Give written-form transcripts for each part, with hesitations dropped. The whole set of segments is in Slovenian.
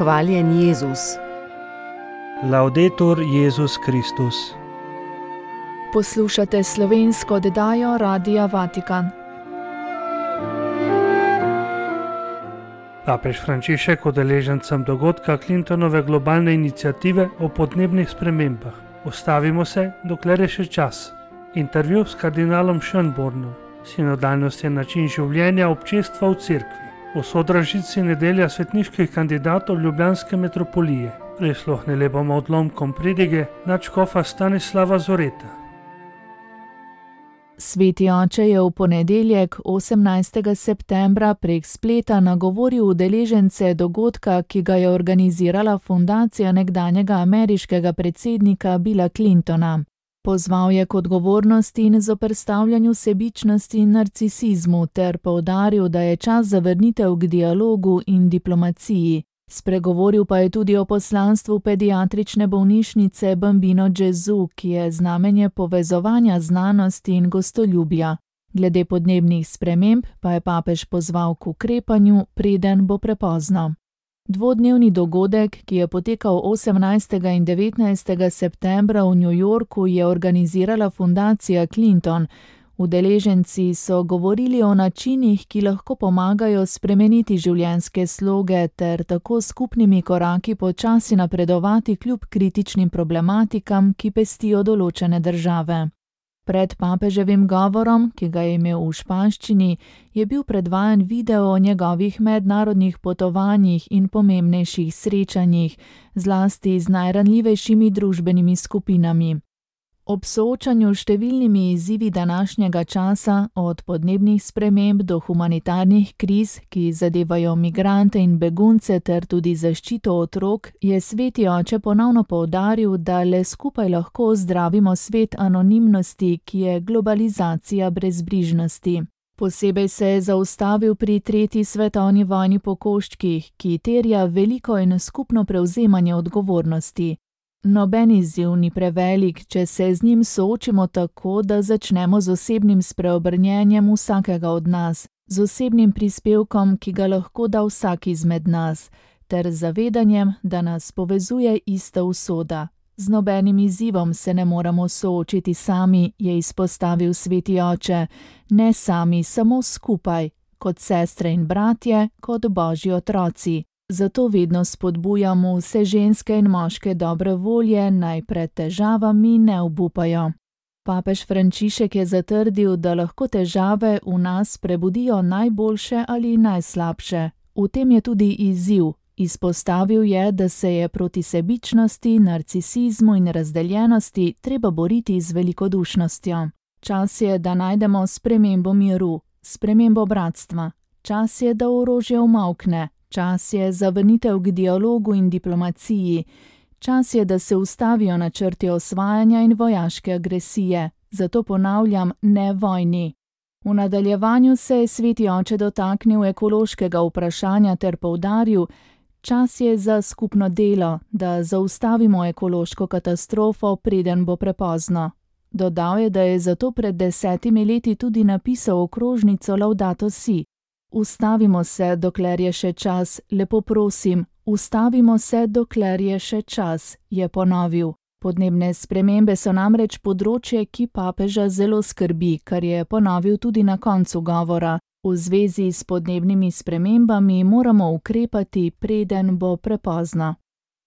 Hvaljen Jezus. Laudetur Jezus Kristus. Poslušate slovensko oddajo Radia Vatikan. Papež Frančišek udeležencem dogodka Clintonove globalne iniciative o podnebnih spremembah. Ustavimo se, dokler je še čas. Intervju s kardinalom Schönbornom. Sinodalnost je način življenja občestva v cerkvi. V Sodražici nedelja svetniških kandidatov ljubljanske metropolije. Prisluhnili bomo odlomkom pridige nadškofa Stanislava Zoreta. Sveti oče je v ponedeljek 18. septembra prek spleta nagovoril udeležence dogodka, ki ga je organizirala fundacija nekdanjega ameriškega predsednika Billa Clintona. Pozval je k odgovornosti in zoperstavljanju sebičnosti in narcisizmu ter poudaril, da je čas za vrnitev k dialogu in diplomaciji. Spregovoril pa je tudi o poslanstvu pediatrične bolnišnice Bambino Gesù, ki je znamenje povezovanja znanosti in gostoljubja. Glede podnebnih sprememb pa je papež pozval k ukrepanju, preden bo prepozno. Dvodnevni dogodek, ki je potekal 18. in 19. septembra v New Yorku, je organizirala fundacija Clinton. Udeleženci so govorili o načinih, ki lahko pomagajo spremeniti življenjske sloge ter tako skupnimi koraki počasi napredovati kljub kritičnim problematikam, ki pestijo določene države. Pred papeževim govorom, ki ga je imel v španščini, je bil predvajan video o njegovih mednarodnih potovanjih in pomembnejših srečanjih, zlasti z najranljivejšimi družbenimi skupinami. Ob soočanju s številnimi izzivi današnjega časa, od podnebnih sprememb do humanitarnih kriz, ki zadevajo migrante in begunce ter tudi zaščito otrok, je sveti oče ponovno poudaril, da le skupaj lahko ozdravimo svet anonimnosti, ki je globalizacija brezbrižnosti. Posebej se je zaustavil pri 3. svetovni vojni po koščkih, ki terja veliko in skupno prevzemanje odgovornosti. Noben izziv ni prevelik, če se z njim soočimo tako, da začnemo z osebnim spreobrnjenjem vsakega od nas, z osebnim prispevkom, ki ga lahko da vsak izmed nas, ter zavedanjem, da nas povezuje ista usoda. Z nobenim izzivom se ne moramo soočiti sami, je izpostavil sveti oče, ne sami, samo skupaj, kot sestre in bratje, kot božji otroci. Zato vedno spodbujamo vse ženske in moške dobre volje, naj pred težavami ne obupajo. Papež Frančišek je zatrdil, da lahko težave v nas prebudijo najboljše ali najslabše. V tem je tudi izziv. Izpostavil je, da se je proti sebičnosti, narcisizmu in razdeljenosti treba boriti z velikodušnostjo. Čas je, da najdemo spremembo miru, spremembo bratstva. Čas je, da orožje umolkne. Čas je za vrnitev k dialogu in diplomaciji. Čas je, da se ustavijo načrti osvajanja in vojaške agresije. Zato ponavljam, ne vojni. V nadaljevanju se je sveti oče dotaknil ekološkega vprašanja ter poudaril, čas je za skupno delo, da zaustavimo ekološko katastrofo, preden bo prepozno. Dodal je, da je zato pred 10 leti tudi napisal okrožnico Laudato Si. Ustavimo se, dokler je še čas, lepo prosim, ustavimo se, dokler je še čas, je ponovil. Podnebne spremembe so namreč področje, ki papeža zelo skrbi, kar je ponovil tudi na koncu govora. V zvezi s podnebnimi spremembami moramo ukrepati, preden bo prepozno.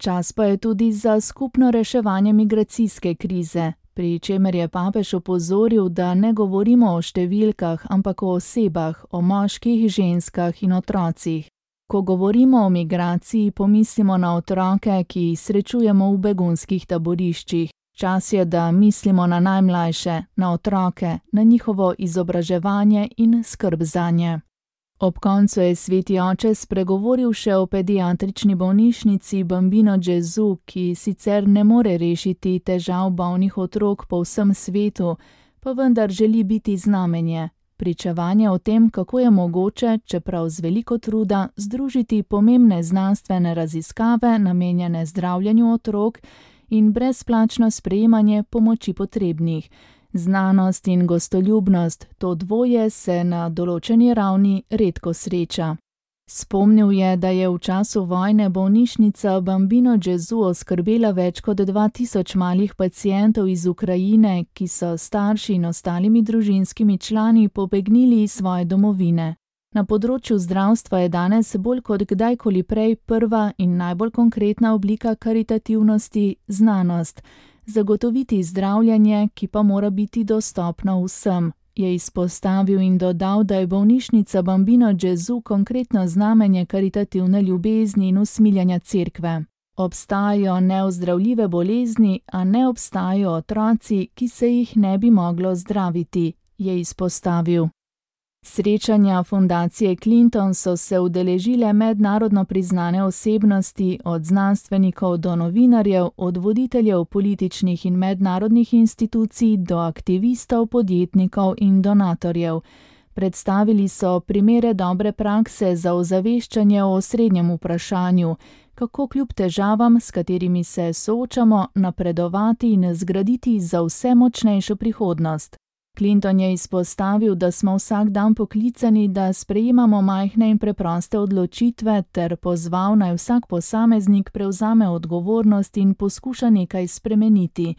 Čas pa je tudi za skupno reševanje migracijske krize, pri čemer je papež opozoril, da ne govorimo o številkah, ampak o osebah, o moških, ženskah in otrocih. Ko govorimo o migraciji, pomislimo na otroke, ki jih srečujemo v begunskih taboriščih. Čas je, da mislimo na najmlajše, na otroke, na njihovo izobraževanje in skrb zanje. Ob koncu je sveti oče spregovoril še o pediatrični bolnišnici Bambino Gesù, ki sicer ne more rešiti težav bolnih otrok po vsem svetu, pa vendar želi biti znamenje. Pričevanje o tem, kako je mogoče, čeprav z veliko truda, združiti pomembne znanstvene raziskave namenjene zdravljenju otrok in brezplačno sprejemanje pomoči potrebnih. Znanost in gostoljubnost, to dvoje se na določeni ravni redko sreča. Spomnil je, da je v času vojne bolnišnica Bambino Gesù oskrbela več kot 2000 malih pacientov iz Ukrajine, ki so starši in ostalimi družinskimi člani pobegnili iz svoje domovine. Na področju zdravstva je danes bolj kot kdajkoli prej prva in najbolj konkretna oblika karitativnosti znanost. Zagotoviti zdravljenje, ki pa mora biti dostopno vsem, je izpostavil in dodal, da je bolnišnica Bambino Gesù konkretno znamenje karitativne ljubezni in usmiljenja cerkve. Obstajajo neozdravljive bolezni, a ne obstajajo otroci, ki se jih ne bi moglo zdraviti, je izpostavil. Srečanja fundacije Clinton so se udeležile mednarodno priznane osebnosti, od znanstvenikov do novinarjev, od voditeljev političnih in mednarodnih institucij do aktivistov, podjetnikov in donatorjev. Predstavili so primere dobre prakse za ozaveščanje o osrednjem vprašanju, kako kljub težavam, s katerimi se soočamo, napredovati in zgraditi za vse močnejšo prihodnost. Clinton je izpostavil, da smo vsak dan poklicani, da sprejemamo majhne in preproste odločitve, ter pozval, naj vsak posameznik prevzame odgovornost in poskuša nekaj spremeniti.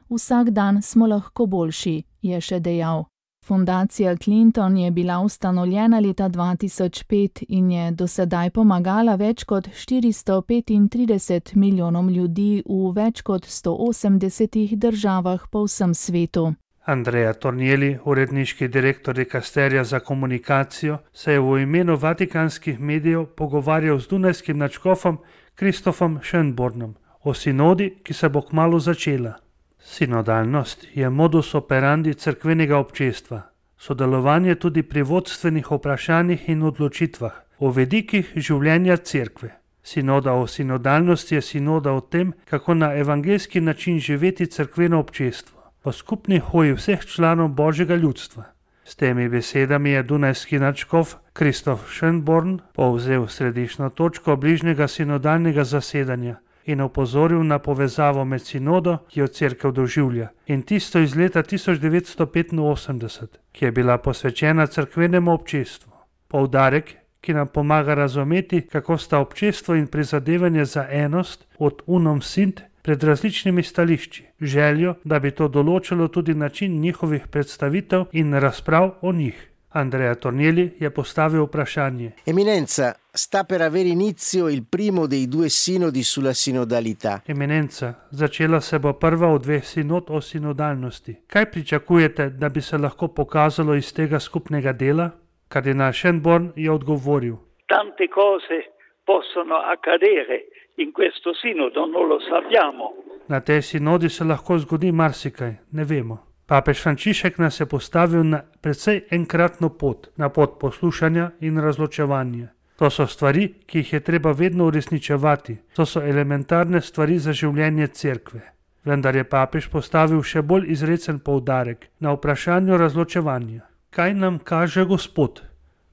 Vsak dan smo lahko boljši, je še dejal. Fundacija Clinton je bila ustanovljena leta 2005 in je do sedaj pomagala več kot 435 milijonom ljudi v več kot 180 državah po vsem svetu. Andrea Tornielli, uredniški direktor dikasterija za komunikacijo, se je v imenu vatikanskih medijev pogovarjal z dunajskim nadškofom Christophom Schönbornom o sinodi, ki se bo kmalu začela. Sinodalnost je modus operandi cerkvenega občestva, sodelovanje tudi pri vodstvenih vprašanjih in odločitvah, o vedikih življenja cerkve. Sinoda o sinodalnosti je sinoda o tem, kako na evangeljski način živeti cerkveno občestvo, o skupni hoji vseh članov Božjega ljudstva. S temi besedami je dunajski nadškof Christoph Schönborn povzel središčno točko bližnjega sinodalnega zasedanja in opozoril na povezavo med sinodo, ki jo cerkev doživlja, in tisto iz leta 1985, ki je bila posvečena cerkvenemu občestvu. Poudarek, ki nam pomaga razumeti, kako sta občestvo in prizadevanje za enost od unum sint pred različnimi stališči, željo, da bi to določilo tudi način njihovih predstavitev in razprav o njih. Andrea Tornielli je postavil vprašanje. Eminenza, sta per avere inizio il primo dei due sinodi sulla sinodalità. Eminenca, začela se bo prva od dveh sinod o sinodalnosti. Kaj pričakujete, da bi se lahko pokazalo iz tega skupnega dela? Kardinal Schönborn je odgovoril. Tante cose possono accadere in questo sinodo, non lo sappiamo. Na tej sinodi se lahko zgodi marsikaj, ne vemo. Papež Frančišek nas je postavil na precej enkratno pot, na pot poslušanja in razločevanja. To so stvari, ki jih je treba vedno uresničevati. To so elementarne stvari za življenje cerkve. Vendar je papež postavil še bolj izrecen poudarek na vprašanju razločevanja. Kaj nam kaže Gospod?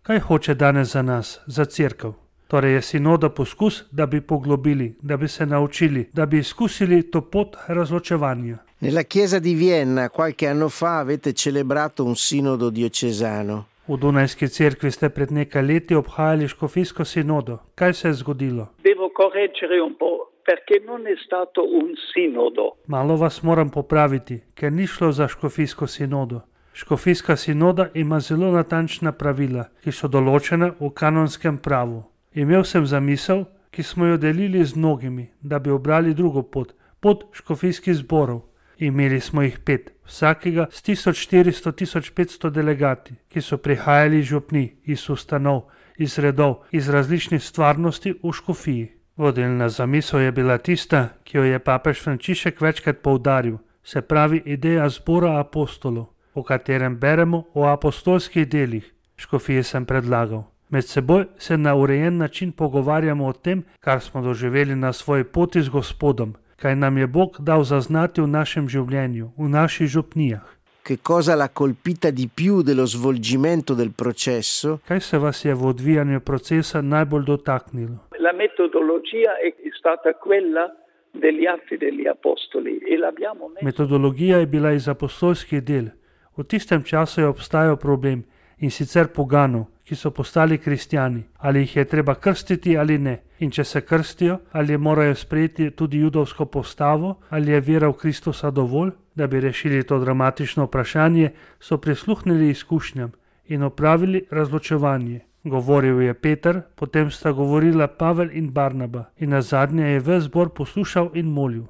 Kaj hoče danes za nas, za cerkev? Torej je sinoda poskus, da bi poglobili, da bi se naučili, da bi izkusili to pot razločevanja. Nella chiesa di Vienna qualche anno fa avete celebrato un sinodo diocesano. V Dunajski cerkvi ste pred nekaj leti obhajali škofijsko sinodo. Kaj se je zgodilo? Devo correggere un po', perché non è stato un sinodo. Malo vas moram popraviti, ker ni šlo za škofijsko sinodo. Škofijska sinoda ima zelo natančna pravila, ki so določena v kanonskem pravu. Imel sem zamisel, ki smo jo delili z mnogimi, da bi obrali drugo pot, pot škofijskih zborov. Imeli smo jih 5, vsakega s 1400-1500 delegati, ki so prihajali iz župnij, iz ustanov, iz redov, iz različnih stvarnosti v škofiji. Vodilna zamisel je bila tista, ki jo je papež Frančišek večkrat poudaril, se pravi ideja zbora apostolov, o katerem beremo o apostolskih delih. Škofije sem predlagal. Med seboj se na urejen način pogovarjamo o tem, kar smo doživeli na svoji poti z Gospodom, kaj nam je Bog dal zaznati v našem življenju, v naših župnijah. Che cosa l'ha colpita di più dello svolgimento del processo? Kaj se vas je v odvijanju procesa najbolj dotaknilo? La metodologia è stata quella degli atti degli apostoli e l'abbiamo messo. Metodologija je bila iz apostolskih del. V tistem času je obstajal problem in sicer poganov, ki so postali kristjani, ali jih je treba krstiti ali ne, in če se krstijo, ali morajo sprejeti tudi judovsko postavo, ali je vera v Kristusa dovolj, da bi rešili to dramatično vprašanje, so prisluhnili izkušnjam in opravili razločevanje. Govoril je Peter, potem sta govorila Pavel in Barnaba in nazadnje je ves zbor poslušal in molil.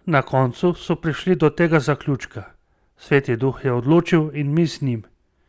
Na koncu so prišli do tega zaključka. Sveti Duh je odločil in mi z njim.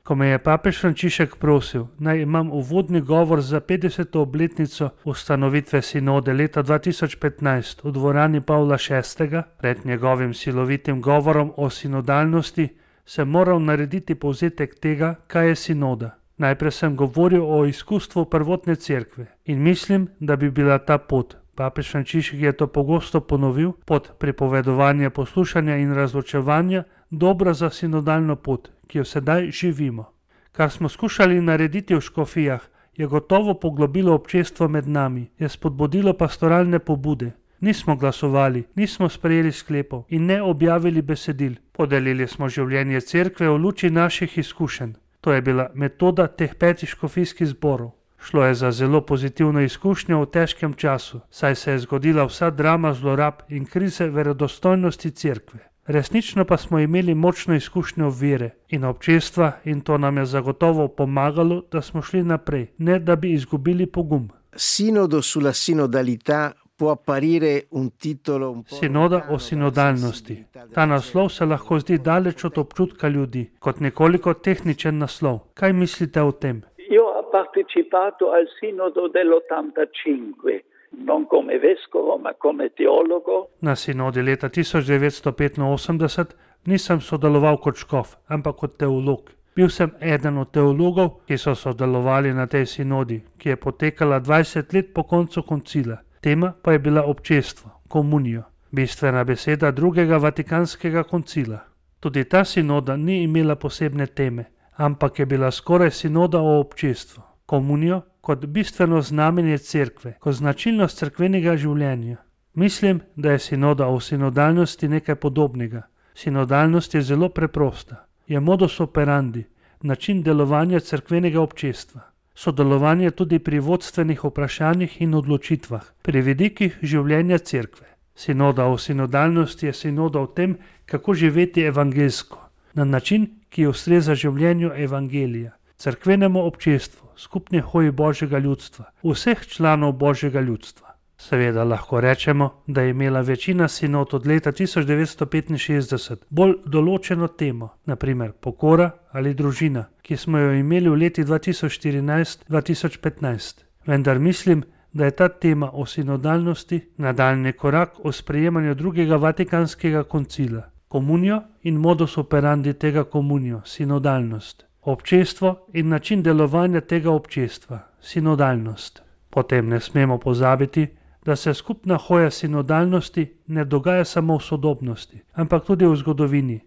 Ko me je papež Frančišek prosil, naj imam uvodni govor za 50. obletnico ustanovitve sinode leta 2015 v dvorani Pavla VI, pred njegovim silovitim govorom o sinodalnosti, sem moral narediti povzetek tega, kaj je sinoda. Najprej sem govoril o izkustvu prvotne cerkve in mislim, da bi bila ta pot, papež Frančišek je to pogosto ponovil, pod pripovedovanje poslušanja in razločevanja, dobra za sinodalno pot, ki jo sedaj živimo. Kar smo skušali narediti v škofijah, je gotovo poglobilo občestvo med nami, je spodbudilo pastoralne pobude. Nismo glasovali, nismo sprejeli sklepov in ne objavili besedil. Podelili smo življenje cerkve v luči naših izkušenj. To je bila metoda teh 5 škofijskih zborov. Šlo je za zelo pozitivno izkušnjo v težkem času, saj se je zgodila vsa drama zlorab in krize verodostojnosti cerkve. Resnično pa smo imeli močno izkušnjo vere in občestva in to nam je zagotovo pomagalo, da smo šli naprej, ne da bi izgubili pogum. Sinodo sulla sinodalità può apparire un titolo un po' Sinoda o sinodalnosti. Ta naslov se lahko zdi daleč od občutka ljudi, kot nekoliko tehničen naslov. Kaj mislite o tem? Io ho partecipato al sinodo dell'85. Non come vescovo, ma come teologo. Na sinodi leta 1985 nisem sodeloval kot škof, ampak kot teolog. Bil sem eden od teologov, ki so sodelovali na tej sinodi, ki je potekala 20 let po koncu koncila. Tema pa je bila občestvo, komunijo, bistvena beseda drugega vatikanskega koncila. Tudi ta sinoda ni imela posebne teme, ampak je bila skoraj sinoda o občestvu, komunijo kot bistveno znamenje cerkve, kot značilnost cerkvenega življenja. Mislim, da je sinoda o sinodalnosti nekaj podobnega. Sinodalnost je zelo preprosta. Je modus operandi, način delovanja cerkvenega občestva. Sodelovanje tudi pri vodstvenih vprašanjih in odločitvah, pri vidikih življenja cerkve. Sinoda o sinodalnosti je sinoda o tem, kako živeti evangeljsko, na način, ki ustreza življenju evangelija, cerkvenemu občestvu, skupni hoji Božjega ljudstva, vseh članov Božjega ljudstva. Seveda lahko rečemo, da je imela večina sinod od leta 1965 bolj določeno temo, naprimer pokora ali družina, ki smo jo imeli v leti 2014-2015. Vendar mislim, da je ta tema o sinodalnosti nadaljnji korak o sprejemanju drugega vatikanskega koncila, komunijo in modus operandi tega komunijo, sinodalnost, občestvo in način delovanja tega občestva, sinodalnost. Potem ne smemo pozabiti, da se skupna hoja sinodalnosti ne dogaja samo v sodobnosti, ampak tudi v zgodovini.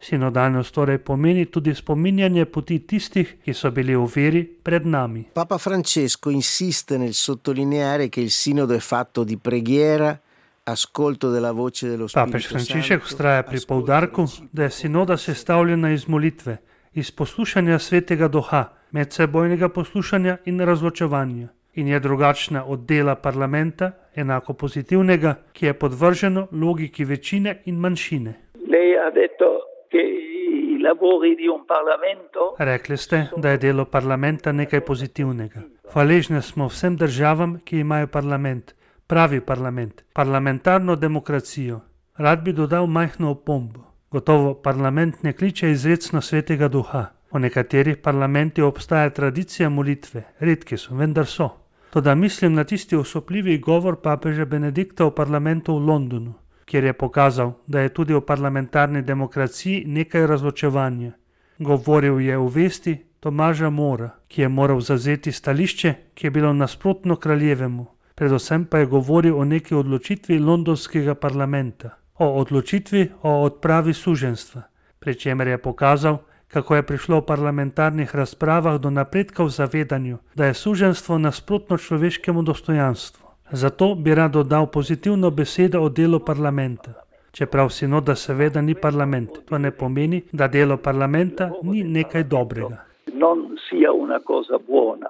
Sinodalnost torej pomeni tudi spominjanje poti tistih, ki so bili v veri pred nami. Papa Francesco insiste nel sottolineare che il sinodo è fatto di preghiera, ascolto della voce dello Spirito Papež Santo. Frančišek vztraja pri poudarku, da je sinoda sestavljena iz molitve, iz poslušanja Svetega Duha, medsebojnega poslušanja in razločevanja. In je drugačna od dela parlamenta, enako pozitivnega, ki je podvrženo logiki večine in manjšine. Lei ha detto che i lavori di un Parlamento Rekli ste, da je delo parlamenta nekaj pozitivnega. Hvaležni smo vsem državam, ki imajo parlament, pravi parlament, parlamentarno demokracijo. Rad bi dodal majhno opombo. Gotovo parlament ne kliče izrecno Svetega Duha. V nekaterih parlamentih obstaja tradicija molitve, redki so, vendar so. Toda mislim na tisti osupljivi govor papeža Benedikta v parlamentu v Londonu, kjer je pokazal, da je tudi v parlamentarni demokraciji nekaj razločevanja. Govoril je o vesti Tomaža Mora, ki je moral zavzeti stališče, ki je bilo nasprotno kraljevemu. Predvsem pa je govoril o neki odločitvi londonskega parlamenta, o odločitvi o odpravi suženjstva, pri čemer je pokazal, kako je prišlo v parlamentarnih razpravah do napredka v zavedanju, da je suženjstvo nasprotno človeškemu dostojanstvu. Zato bi rad dodal pozitivno besedo o delu parlamenta. Čeprav sinoda seveda ni parlament, to ne pomeni, da delo parlamenta ni nekaj dobrega. non sia una cosa buona.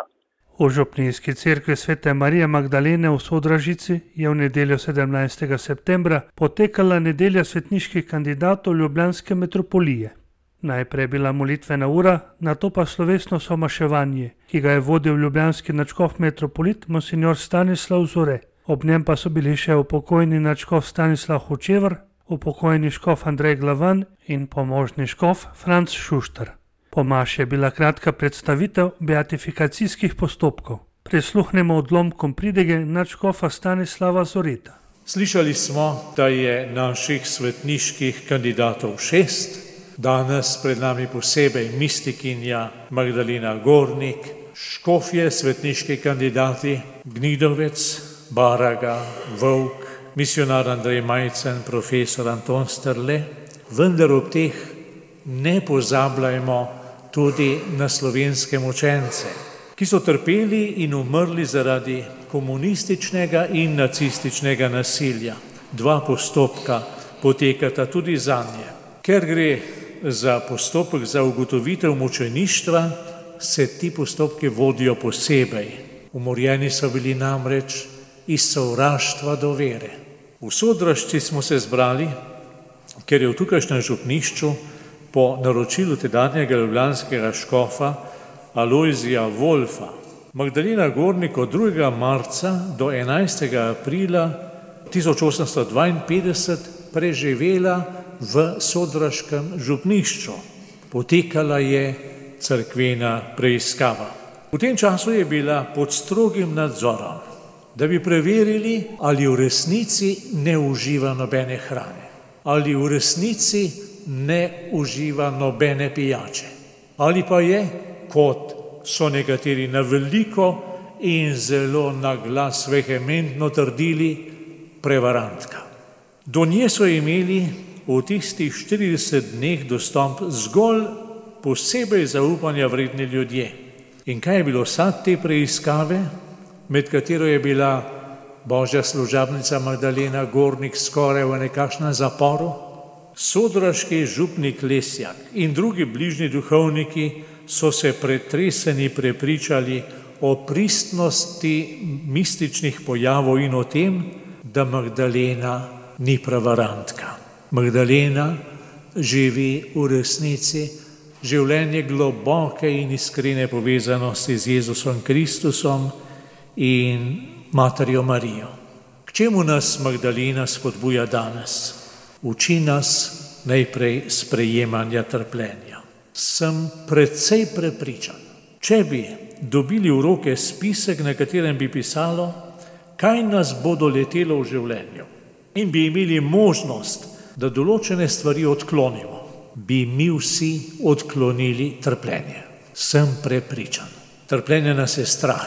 V župnijski cerkvi Svete Marije Magdalene v Sodražici je v nedeljo 17. septembra potekala nedelja svetniških kandidatov ljubljanske metropolije. Najprej je bila molitvena ura, nato pa slovesno somaševanje, ki ga je vodil ljubljanski nadškof metropolit monsignor Stanislav Zore. Ob njem pa so bili še upokojeni nadškof Stanislav Hočevar, upokojeni škof Andrej Glavan in pomožni škof Franc Šuštar. Po maši je bila kratka predstavitev beatifikacijskih postopkov. Prisluhnemo odlomkom pridege nadškofa Stanislava Zoreta. Slišali smo, da je naših svetniških kandidatov 6. Danes pred nami posebej mistikinja Magdalena Gornik, škofje svetniški kandidati Gnidovec, Baraga, Vovk, misionar Andrej Majcen, profesor Anton Strle, vendar ob teh ne pozabljajmo tudi na slovenske mučence, ki so trpeli in umrli zaradi komunističnega in nacističnega nasilja. 2 postopka potekata tudi zanje. Ker gre za postopek za ugotovitev mučeništva, se ti postopki vodijo posebej. Umorjeni so bili namreč iz sovraštva do vere. V Sodražci smo se zbrali, ker je v tukajšnjem župnišču po naročilu tedanjega ljubljanskega škofa Alojzija Wolfa Magdalena Gornik od 2. marca do 11. aprila 1852 preživela v sodraškem župnišču. Potekala je cerkvena preiskava. V tem času je bila pod strogim nadzorom, da bi preverili, ali v resnici ne uživa nobene hrane, ali v resnici ne uživa nobene pijače, ali pa je, kot so nekateri na veliko in zelo na glas vehementno trdili, prevarantka. Do nje so imeli v tistih 40 dneh dostop zgolj posebej zaupanja vredni ljudje. In kaj je bilo sad te preiskave, med katero je bila božja služabnica Magdalena Gornik skoraj v nekakšnem zaporu? Sodraški župnik Lesjak in drugi bližnji duhovniki so se pretreseni prepričali o pristnosti mističnih pojavov in o tem, da Magdalena ni prevarantka. Magdalena živi v resnici življenje globoke in iskrene povezanosti z Jezusom Kristusom in Materjo Marijo. K čemu nas Magdalena spodbuja danes? Uči nas najprej sprejemanja trpljenja. Sem precej prepričan, če bi dobili v roke spisek, na katerem bi pisalo, kaj nas bo doletelo v življenju, in bi imeli možnost, da določene stvari odklonimo, bi mi vsi odklonili trpljenje. Sem prepričan. Trpljenje nas je strah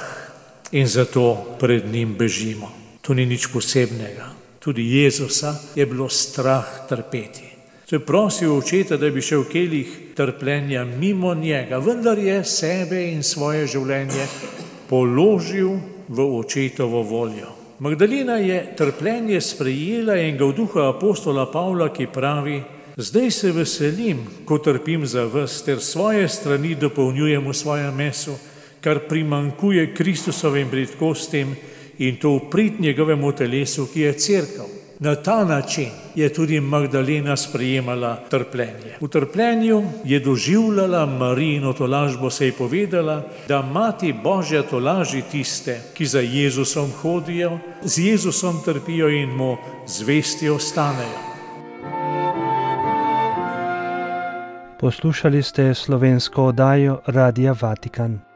in zato pred njim bežimo. To ni nič posebnega. Tudi Jezusa je bilo strah trpeti. Se je prosil očeta, da bi šel kelih trpljenja mimo njega, vendar je sebe in svoje življenje položil v očetovo voljo. Magdalena je trpljenje sprejela in ga v duhu apostola Pavla, ki pravi: zdaj se veselim, ko trpim za vas, ter svoje strani dopolnjujem v svojem mesu, kar primanjkuje Kristusovim bridkostim, in to v prid njegovemu telesu, ki je cerkev. Na ta način je tudi Magdalena sprejemala trpljenje. V trpljenju je doživljala Marijino tolažbo, se je povedala, da Mati Božja tolaži tiste, ki za Jezusom hodijo, z Jezusom trpijo in mu zvesti ostanejo. Poslušali ste slovensko oddajo Radia Vatikan.